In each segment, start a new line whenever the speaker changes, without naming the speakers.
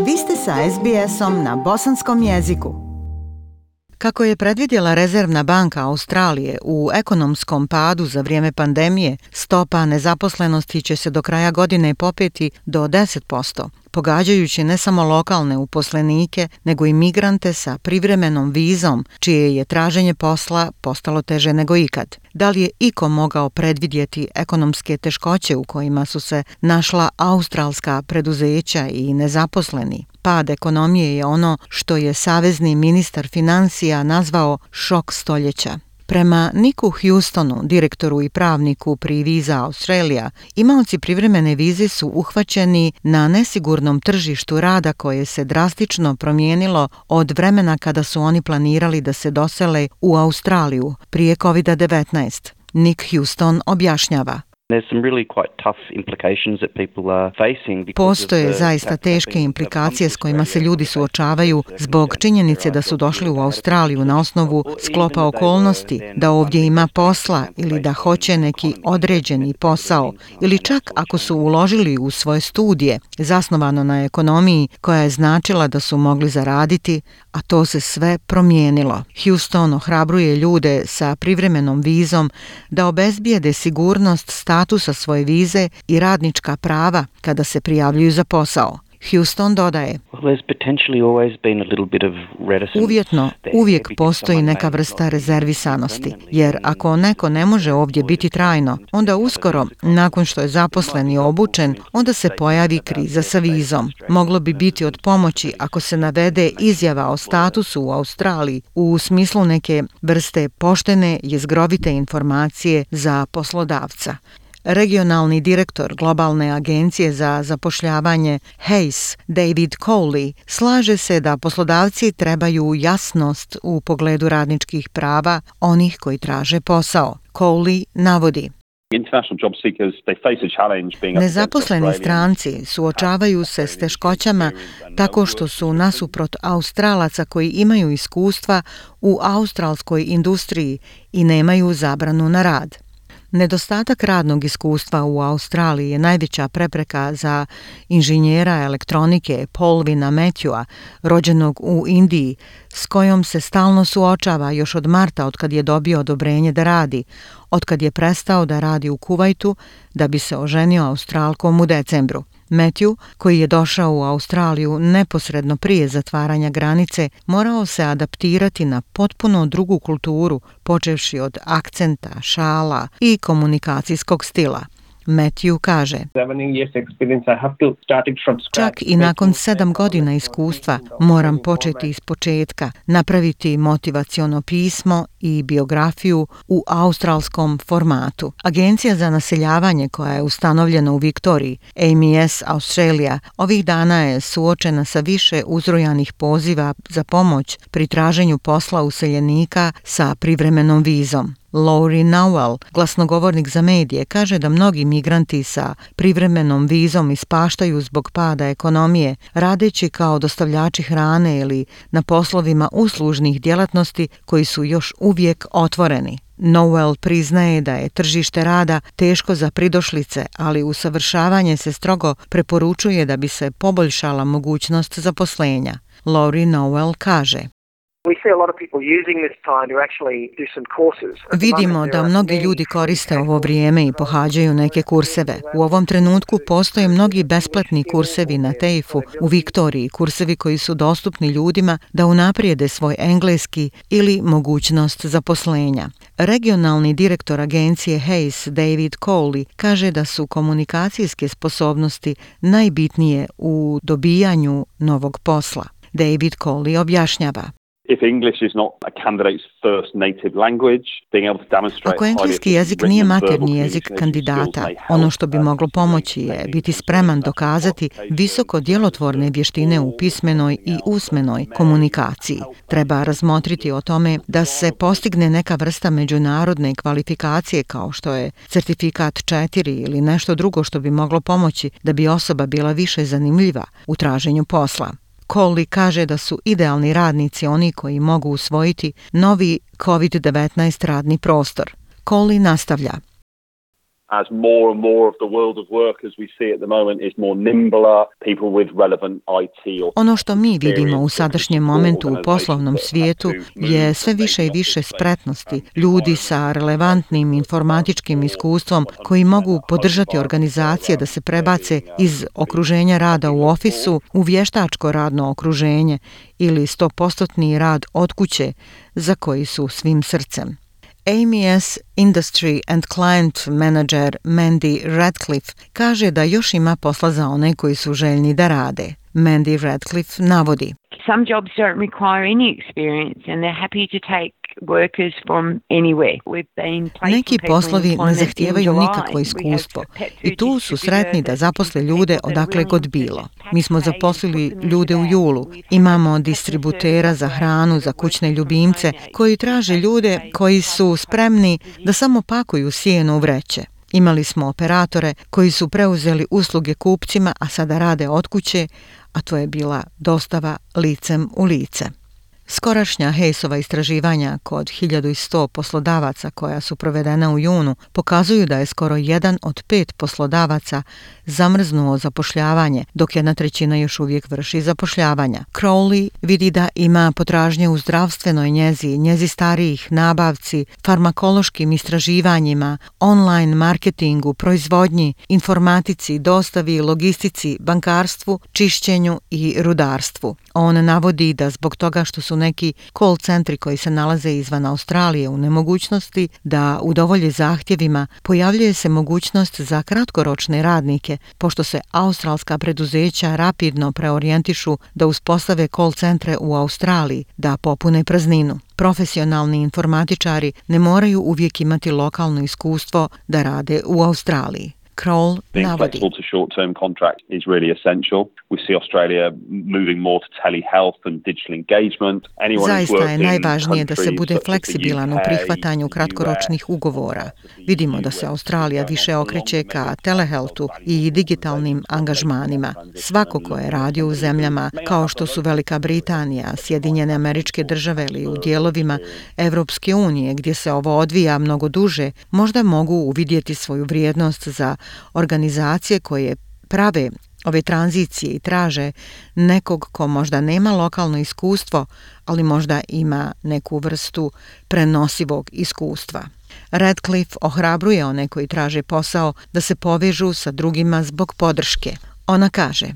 Vi ste sa SBS-om na bosanskom jeziku. Kako je predvidjela Rezervna banka Australije u ekonomskom padu za vrijeme pandemije, stopa nezaposlenosti će se do kraja godine popeti do 10%, pogađajući ne samo lokalne uposlenike, nego i migrante sa privremenom vizom, čije je traženje posla postalo teže nego ikad. Da li je iko mogao predvidjeti ekonomske teškoće u kojima su se našla australska preduzeća i nezaposleni? Pad ekonomije je ono što je savezni ministar financija nazvao šok stoljeća. Prema Nicku Houstonu, direktoru i pravniku pri Visa Australia, imaoci privremene vize su uhvaćeni na nesigurnom tržištu rada koje se drastično promijenilo od vremena kada su oni planirali da se dosele u Australiju prije COVID-19. Nick Houston objašnjava. Postoje zaista teške implikacije s kojima se ljudi suočavaju zbog činjenice da su došli u Australiju na osnovu sklopa okolnosti, da ovdje ima posla ili da hoće neki određeni posao, ili čak ako su uložili u svoje studije, zasnovano na ekonomiji koja je značila da su mogli zaraditi, a to se sve promijenilo. Houston ohrabruje ljude sa privremenom vizom da obezbijede sigurnost statusa svoje vize i radnička prava kada se prijavljuju za posao. Houston dodaje, uvjetno uvijek postoji neka vrsta rezervisanosti, jer ako neko ne može ovdje biti trajno, onda uskoro, nakon što je zaposlen i obučen, onda se pojavi kriza sa vizom. Moglo bi biti od pomoći ako se navede izjava o statusu u Australiji u smislu neke vrste poštene, jezgrovite informacije za poslodavca. Regionalni direktor globalne agencije za zapošljavanje Hayes, David Cowley, slaže se da poslodavci trebaju jasnost u pogledu radničkih prava onih koji traže posao. Cowley navodi. Nezaposleni stranci suočavaju se s teškoćama tako što su nasuprot Australaca koji imaju iskustva u australskoj industriji i nemaju zabranu na rad. Nedostatak radnog iskustva u Australiji je najveća prepreka za inženjera elektronike Paulvina Matthewa, rođenog u Indiji, s kojom se stalno suočava još od marta otkad je dobio odobrenje da radi, otkad je prestao da radi u Kuvajtu da bi se oženio Australkom u decembru. Matthew, koji je došao u Australiju neposredno prije zatvaranja granice, morao se adaptirati na potpuno drugu kulturu, počevši od akcenta, šala i komunikacijskog stila. Matthew kaže, čak i nakon 7 godina iskustva moram početi iz početka, napraviti motivaciono pismo i biografiju u australskom formatu. Agencija za naseljavanje koja je ustanovljena u Viktoriji, AMS Australia, ovih dana je suočena sa više uzrojanih poziva za pomoć pri traženju posla useljenika sa privremenom vizom. Laurie Nowell, glasnogovornik za medije, kaže da mnogi migranti sa privremenom vizom ispaštaju zbog pada ekonomije, radeći kao dostavljači hrane ili na poslovima uslužnih djelatnosti koji su još uvijek otvoreni. Nowell priznaje da je tržište rada teško za pridošlice, ali usavršavanje se strogo preporučuje da bi se poboljšala mogućnost zaposlenja. Laurie Nowell kaže, vidimo da mnogi ljudi koriste ovo vrijeme i pohađaju neke kurseve. U ovom trenutku postoje mnogi besplatni kursevi na TAFE-u u Viktoriji, kursevi koji su dostupni ljudima da unaprijede svoj engleski ili mogućnost zaposlenja. Regionalni direktor agencije Hayes, David Cowley, kaže da su komunikacijske sposobnosti najbitnije u dobijanju novog posla. David Cowley objašnjava. Ako engleski jezik nije maternji jezik kandidata, ono što bi moglo pomoći je biti spreman dokazati visoko djelotvorne vještine u pismenoj i usmenoj komunikaciji. Treba razmotriti o tome da se postigne neka vrsta međunarodne kvalifikacije kao što je certifikat 4 ili nešto drugo što bi moglo pomoći da bi osoba bila više zanimljiva u traženju posla. Cowley kaže da su idealni radnici oni koji mogu usvojiti novi COVID-19 radni prostor. Cowley nastavlja.
as more and more of the world of work as we see at the moment is more nimbler, people with relevant IT or
Ono što mi vidimo u sadašnjem momentu u poslovnom svijetu je sve više i više spretnosti ljudi sa relevantnim informatičkim iskustvom koji mogu podržati organizacije da se prebace iz okruženja rada u ofisu u vještačko radno okruženje ili 100% rad od kuće za koji su svim srcem. AMS Industry and Client Manager Mandy Radcliffe kaže da još ima posla za one koji su željni da rade. Mandy Radcliffe navodi:
Some jobs don't require any experience and they're happy to take workers from anywhere.
Neki poslovi ne zahtijevaju nikakvo iskustvo i tu su sretni da zaposle ljude odakle god bilo. Mi smo zaposlili ljude u julu. Imamo distributera za hranu za kućne ljubimce koji traže ljude koji su spremni da samo pakuju sijeno u vreće. Imali smo operatore koji su preuzeli usluge kupcima, a sada rade od kuće, a to je bila dostava licem u lice. Skorašnja Hayesova istraživanja kod 1100 poslodavaca koja su provedena u junu pokazuju da je skoro 1 od 5 poslodavaca zamrznuo zapošljavanje, dok 1/3 još uvijek vrši zapošljavanja. Crowley vidi da ima potražnje u zdravstvenoj njezi starijih, nabavci, farmakološkim istraživanjima, online marketingu, proizvodnji, informatici, dostavi, logistici, bankarstvu, čišćenju i rudarstvu. On navodi da zbog toga što su neki call centri koji se nalaze izvan Australije u nemogućnosti da udovolje zahtjevima, pojavljuje se mogućnost za kratkoročne radnike, pošto se australska preduzeća rapidno preorijentišu da uspostave call centre u Australiji, da popune prazninu. Profesionalni informatičari ne moraju uvijek imati lokalno iskustvo da rade u Australiji. Kroll navodi:
to short-term contract is really essential. We see Australia moving more to telehealth and digital engagement.
Zaista je najvažnije da se bude fleksibilan u prihvatanju kratkoročnih ugovora. Vidimo da se Australija više okreće ka telehealthu i digitalnim angažmanima. Svako ko je radio u zemljama kao što su Velika Britanija, Sjedinjene Američke Države ili u dijelovima Evropske unije gdje se ovo odvija mnogo duže, možda mogu uvidjeti svoju vrijednost za organizacije koje prave ove tranzicije i traže nekog ko možda nema lokalno iskustvo, ali možda ima neku vrstu prenosivog iskustva. Radcliffe ohrabruje one koji traže posao da se povežu sa drugima zbog podrške. Ona kaže: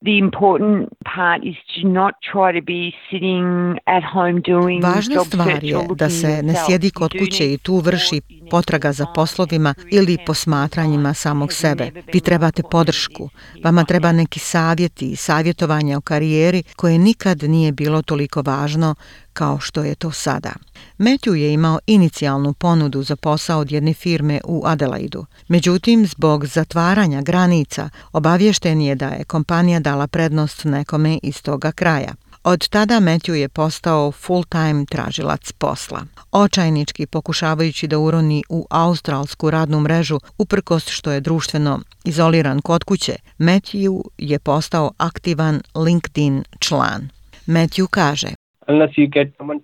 The important part is to not try to be sitting at home doing
Važna
job
stvar
search
je
or
da
looking
se ne
yourself.
sjedi kod kuće i tu vrši potraga za poslovima ili posmatranjima samog sebe. Vi trebate podršku. Vama treba neki savjeti i savjetovanje o karijeri koje nikad nije bilo toliko važno kao što je to sada. Matthew je imao inicijalnu ponudu za posao od jedne firme u Adelaidu. Međutim, zbog zatvaranja granica, obaviješten je da je kompanija dala prednost nekome iz toga kraja. Od tada Matthew je postao full-time tražilac posla. Očajnički pokušavajući da uroni u australsku radnu mrežu, uprkos što je društveno izoliran kod kuće, Matthew je postao aktivan LinkedIn član. Matthew kaže:
Unless you get someone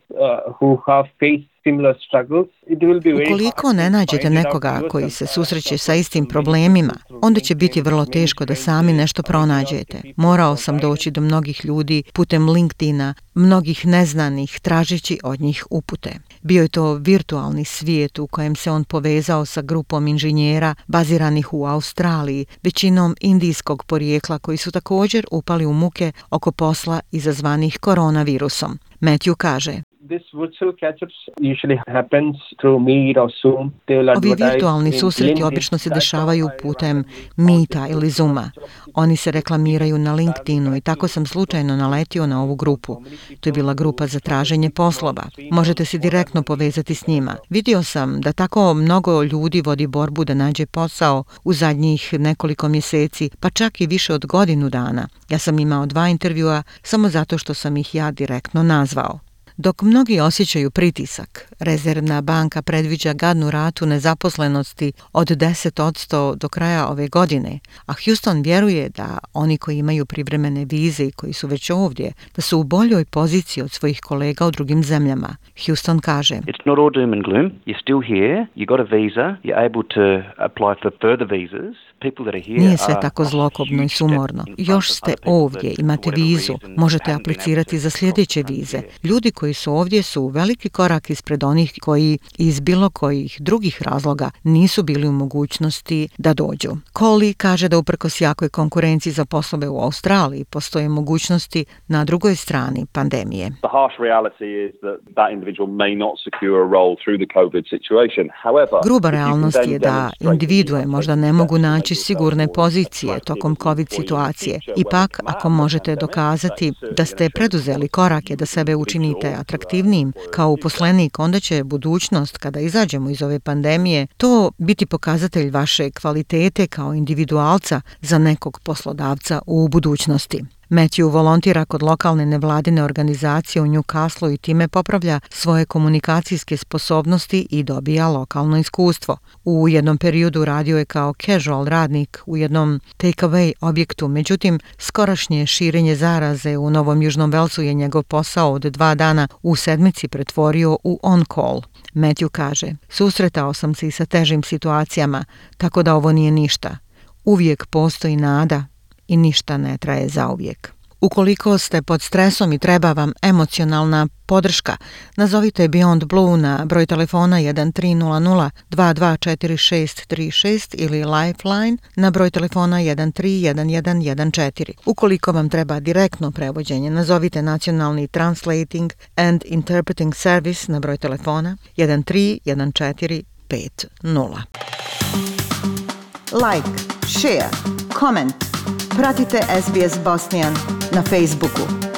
who have faced similar struggles, it will be very
Ukoliko ne nađete nekoga koji se susreće sa istim problemima, onda će biti vrlo teško da sami nešto pronađete. Morao sam doći do mnogih ljudi putem LinkedIna, mnogih neznanih, tražeći od njih upute. Bio je to virtualni svijet u kojem se on povezao sa grupom inženjera baziranih u Australiji, većinom indijskog porijekla koji su također upali u muke oko posla izazvanih koronavirusom. Matthew kaže:
This virtual catch-ups usually happens through Meet or Zoom.
Ovi virtualni susreti obično se dešavaju putem Meeta ili Zooma. Oni se reklamiraju na LinkedInu i tako sam slučajno naletio na ovu grupu. To je bila grupa za traženje poslova. Možete se direktno povezati s njima. Vidio sam da tako mnogo ljudi vodi borbu da nađe posao u zadnjih nekoliko mjeseci, pa čak i više od godinu dana. Ja sam imao 2 intervjua samo zato što sam ih ja direktno nazvao. Dok mnogi osjećaju pritisak, Rezervna banka predviđa gadnu ratu nezaposlenosti od 10% do kraja ove godine, a Houston vjeruje da oni koji imaju privremene vize i koji su već ovdje, da su u boljoj poziciji od svojih kolega u drugim zemljama. Houston kaže:
It's not all doom and gloom. You're still here. You got a visa. You're able to apply for further visas.
Nije sve tako zlokobno i sumorno. Još ste ovdje, imate vizu, možete aplicirati za sljedeće vize. Ljudi koji su ovdje su veliki korak ispred onih koji iz bilo kojih drugih razloga nisu bili u mogućnosti da dođu. Coley kaže da uprkos jakoj konkurenciji za poslove u Australiji postoje mogućnosti na drugoj strani pandemije.
The harsh reality is that individual may not secure a role through the COVID situation. However,
gruba realnost je da individue možda ne mogu naći sigurne pozicije tokom COVID situacije. Ipak, ako možete dokazati da ste preduzeli korake da sebe učinite atraktivnijim kao uposlenik, onda će budućnost, kada izađemo iz ove pandemije, to biti pokazatelj vaše kvalitete kao individualca za nekog poslodavca u budućnosti. Matthew volontira kod lokalne nevladine organizacije u Newcastle i time popravlja svoje komunikacijske sposobnosti i dobija lokalno iskustvo. U jednom periodu radio je kao casual radnik u jednom take-away objektu, međutim, skorašnje širenje zaraze u Novom Južnom Velsu je njegov posao od 2 dana u sedmici pretvorio u on-call. Matthew kaže: susretao sam se i sa težim situacijama, tako da ovo nije ništa. Uvijek postoji nada i ništa ne traje zauvijek. Ukoliko ste pod stresom i treba vam emocionalna podrška, nazovite Beyond Blue na broj telefona 1300 224636 ili Lifeline na broj telefona 131114. Ukoliko vam treba direktno prevođenje, nazovite Nacionalni Translating and Interpreting Service na broj telefona 131450. Like, share, comment. Pratite SBS Bosnian na Facebooku.